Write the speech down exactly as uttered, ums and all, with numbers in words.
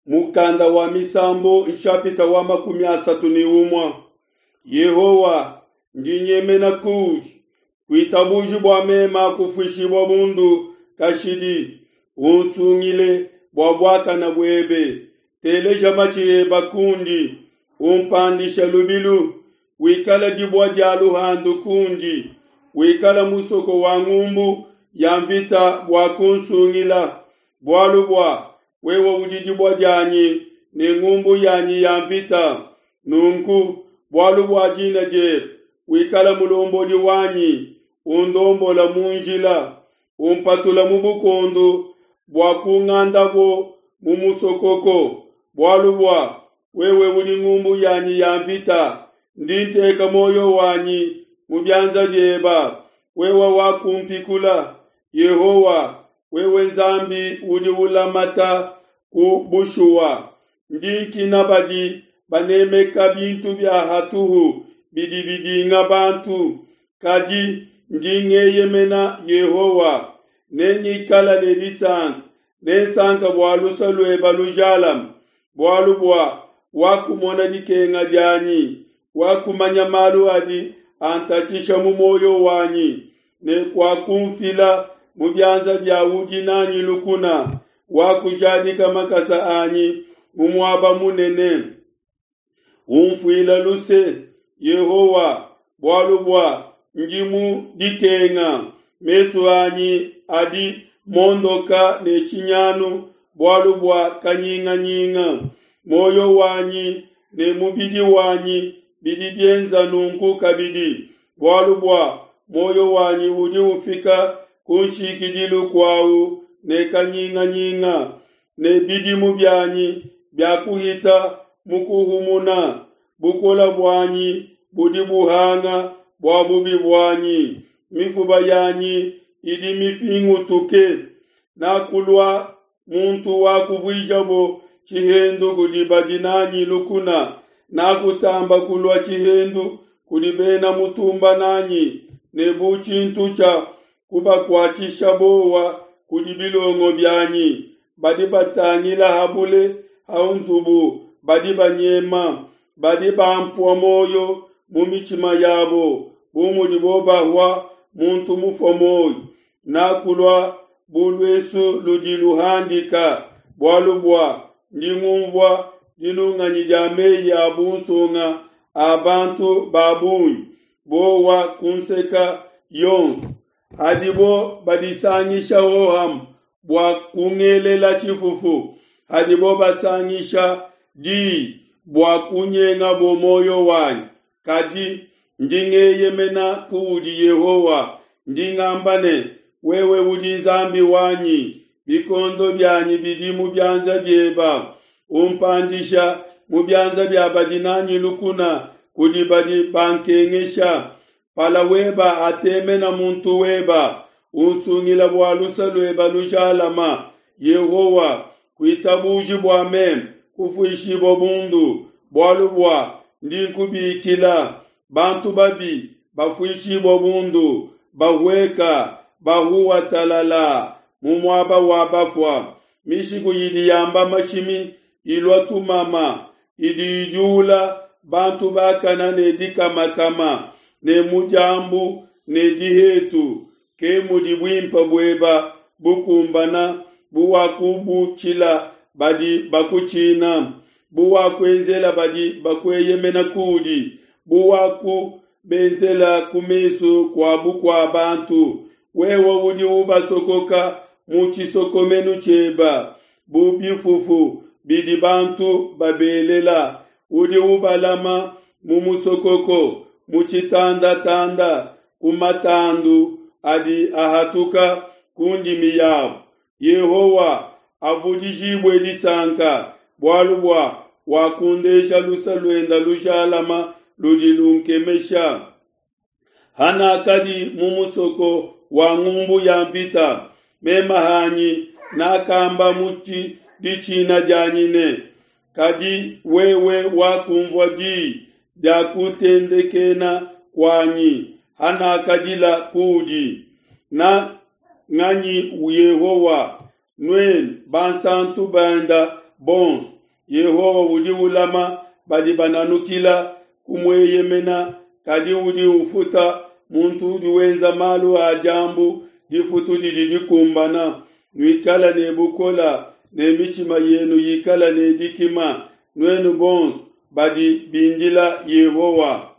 Mukanda wa Misambu nshapita wa makumi asatu ne umue. Yehowa, ndi nyemena kuudi, kuitabuji bua mema kufuishibua bundu kashidi, unsungile bua buakana buebe. Teleja matshi eba kundi, umpandisha lubilu, wikala dibua dia luhandu kundi, wikala musoko wa ngumbu ya mvita bua kunsungila, bualu bua wewe udi dibua dianyi ne ngumbu yanyi ya mvita. Nunku bualu bua dina diebe wikala mulombodi wanyi, undombola mu njila, umpatula mu bukondu bua kungandabo mu musokoko, bualu bua wewe udi ngumbu yanyi ya mvita, ndi nteka muoyo wanyi mu bianza bieba, wewe wakumpikula. Yehowa, wewe Nzambi udi ulamata ku bushuwa, ndi nkina badi banemeka bintu bia hatuhu bidi bidinga bantu, kadi ndi ngeyemena Yehowa. Nengikala ne disanka, nensanka bua luse lueba lujalame, bualu bua wakumona dikenga dianyi, wakumanya malu adi antatshisha mu muoyo wanyi, ne kuakumfila mu bianza bia udi nanyi lukuna, wakujadika makasa anyi mu muaba munene. Umfuila luse, Yehowa, bualu bua ndi mu dikenga, mesu anyi adi mondoka ne tshinyanu bualu bua kanyinganyinga. Muoyo wanyi ne mubidi wanyi bidi bienza nunku kabidi, bualu bua muoyo wanyi udi ufika ku nshikidilu kuawu ne kanyinganyinga, ne bidimu bianyi biakuhita mu kuhumuna. Bukola buanyi budi buhanga bua bubi buanyi, mifuba yanyi idi mifingutuke. Nakulua muntu wa kuvuijabo tshihendu kudi badi nanyi lukuna, nakutamba kulua tshihendu kudi bena mutumba nanyi, ne bu tshintu tshia kubakuatshisha bowa kudi bilongo bianyi. Badi batangila ha bule ha nzubu badi banyema, badi bampua muoyo mu mitshima yabo, bu mudibo bahua muntu mufue muoyo. Nakulua bu luesu ludi luhandika, bualu bua ndi ngumvua dinunganyi dia meyi a bunsonga a bantu ba bungi, bowa kunseka yonso. Hadibo badisangisha hohamue bua kungelela tshifufu, hadibo basangisha diyi bua kunyengabo muoyo wanyi. Kadi ndi ngeyemena kuudi Yehowa, ndi ngamba ne, wewe udi Nzambi wanyi, bikondo bianyi bidi mu bianza bieba, umpandisha mu bianza bia badi nanyi lukuna, kudi badi bankengesha. Pala weba atemena muntu weba, unsungila bua luse lueba lujalama. Yehowa, kuitabuji bua meme kufuishibua bundu, bualu bua ndi nkubikila. Bantu babi bafuishibua bundu, bahueka bahuwa talala mu muaba wa bafua. Mishiku idi yamba mashimi ilua tumama, idi idiula bantu bakana ne dikamakama, ne mu diambu ne dihetu. Ke mudi buimpe bueba bukumbana, buwakubutshila badi bakutshina, buwakuenzela badi bakueyemena kuudi, buwakubenzela ku mesu kua bukua bantu. Wewe udi ubasokoka mu tshisokomenu tshieba bu bifufu bidi bantu babelela, udi ubalama mu musokoko, mu tshitandatanda, ku matandu adi ahatuka ku ndimi yabo. Yehowa avudijibue disanka, bualu bua wakundesha luse luenda lujalama ludi lunkemesha. Hanakadi mu musoko wa ngumbu ya mvita, mema hanyi nakamba mu ditshina dianyi ne, kadi wewe wakumvua diyi dia kutendekena kuanyi hanakadila kuudi. Na nganyi Yehowa, nuenu bansantu benda bonso. Yehowa udi ulama badi bananukila kumueyemena, kadi udi ufuta muntu udi wenza malu a diambu difutu didi dikumbana. Nuikale ne bukole ne mitshima yenu yikale ne dikima, nuenu bonso badi bindila Yehowa.